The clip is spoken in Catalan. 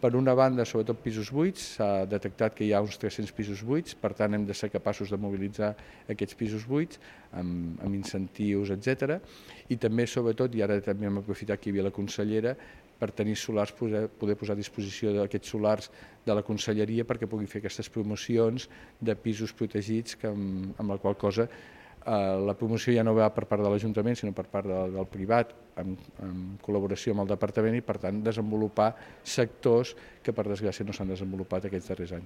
Per una banda, sobretot pisos buits, s'ha detectat que hi ha uns 300 pisos buits, per tant hem de ser capaços de mobilitzar aquests pisos buits amb incentius, etc. I també, sobretot, i ara també hem aprofitat que hi havia la consellera, per tenir solars, poder posar a disposició d'aquests solars de la conselleria perquè pugui fer aquestes promocions de pisos protegits, amb la qual cosa la promoció ja no va per part de l'Ajuntament, sinó per part del privat, en col·laboració amb el departament, i per tant desenvolupar sectors que per desgràcia no s'han desenvolupat aquests darrers anys.